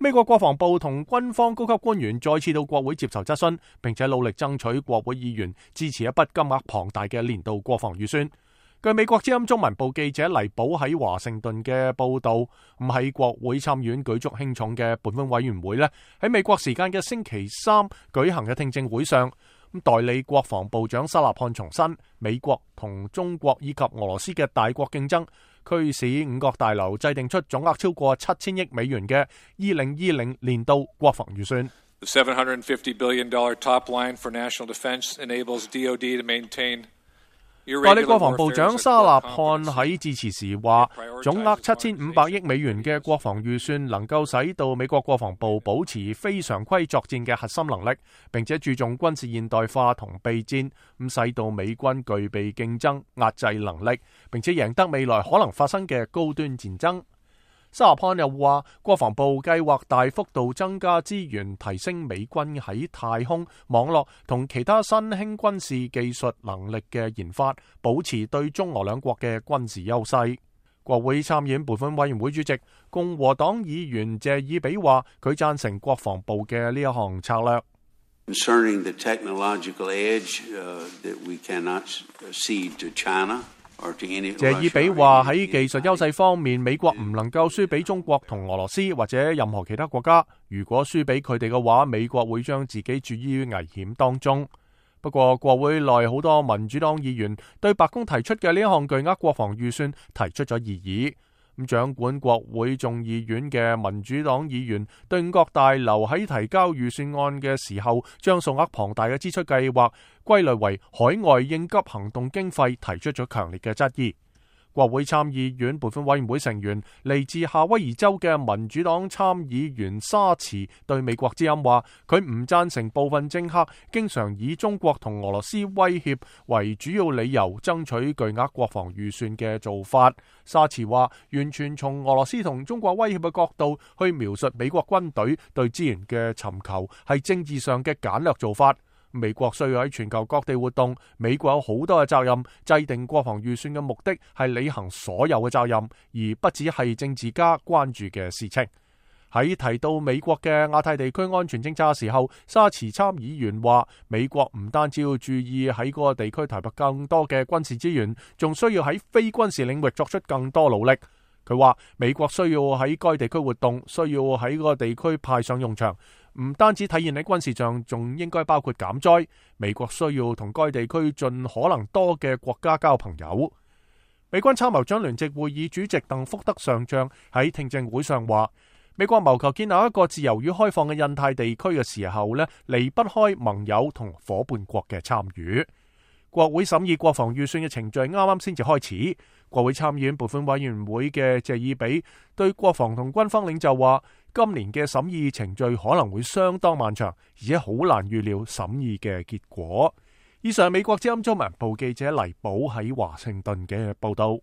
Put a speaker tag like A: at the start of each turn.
A: 美國國防部同軍方高級官員再次到國會接受質詢，並且努力爭取國會議員支持一筆金額龐大嘅年度國防預算。據美國之音中文部記者黎寶喺華盛頓嘅報道，咁喺國會參議院舉足輕重嘅撥款委員會呢，喺美國時間嘅星期三舉行嘅聽證會上，代理國防部長沙納漢重申，美國同中國以及俄羅斯嘅大國競爭，驅使五角大樓制定出總額超過7000億美元嘅2020年度國防預算。
B: The $750 billion top line for national defense enables DoD to maintain。
A: 代理國防部長沙納漢喺致辭時話，總額7500億美元嘅國防預算能夠使到美國國防部保持非常規作戰嘅核心能力，並且注重軍事現代化同備戰，咁使到美軍具備競爭壓制能力，並且贏得未來可能發生嘅高端戰爭。沙納漢又話，國防部計劃大幅度增加資源，提升美軍喺太空、網絡同其他新興軍事技術能力嘅研發，保持對中俄兩國嘅軍事優勢。國會參議院撥款委員會主席共和黨議員謝爾比話，佢贊成國防部嘅呢一項策略。
C: Concerning the technological edge that we cannot cede to China。
A: 謝爾比話，喺技術優勢方面，美國唔能夠輸俾中國同俄羅斯或者任何其他國家。如果輸俾佢哋嘅話，美國會將自己置於危險當中。不過，國會內好多民主黨議員對白宮提出嘅呢一項巨額國防預算提出咗異議。咁掌管國會眾議院嘅民主黨議員對五角大樓喺提交預算案嘅時候，將數額龐大嘅支出計劃歸類為海外應急行動經費，提出咗強烈嘅質疑。國會參議院撥款委員會成員嚟自夏威夷州嘅民主黨參議員沙茨對美國之音話，佢唔贊成部分政客經常以中國同俄羅斯威脅為主要理由爭取巨額國防預算嘅做法。沙茨話，完全從俄羅斯同中國威脅嘅角度去描述美國軍隊對資源嘅尋求係政治上嘅簡略做法。美國需要喺全球各地活動，美國有好多嘅責任，制定國防預算嘅目的係履行所有嘅責任，而不只係政治家關注嘅事情。喺提到美國嘅亞太地區安全政策嘅時候，沙茨參議員話，美國唔單止要注意喺嗰個地區投入更多嘅軍事資源，仲需要喺非軍事領域作出更多努力。佢話美國需要喺該地區活動，需要喺嗰個地區派上用場，唔單止體現喺軍事上，仲應該包括減災。美國需要同該地區盡可能多嘅國家交朋友。美軍參謀長聯席會議主席鄧福德上將喺聽證會上話，美國謀求建立一個自由與開放嘅印太地區嘅時候呢，離不開盟友同伙伴國嘅參與。國會審議國防預算嘅程序啱啱先至開始。國會參議院撥款委員會嘅謝爾比對國防同軍方領袖話，今年嘅審議程序可能會相當漫長，而且好難預料審議嘅結果。以上美國之音中文部記者黎寶喺華盛頓嘅報道。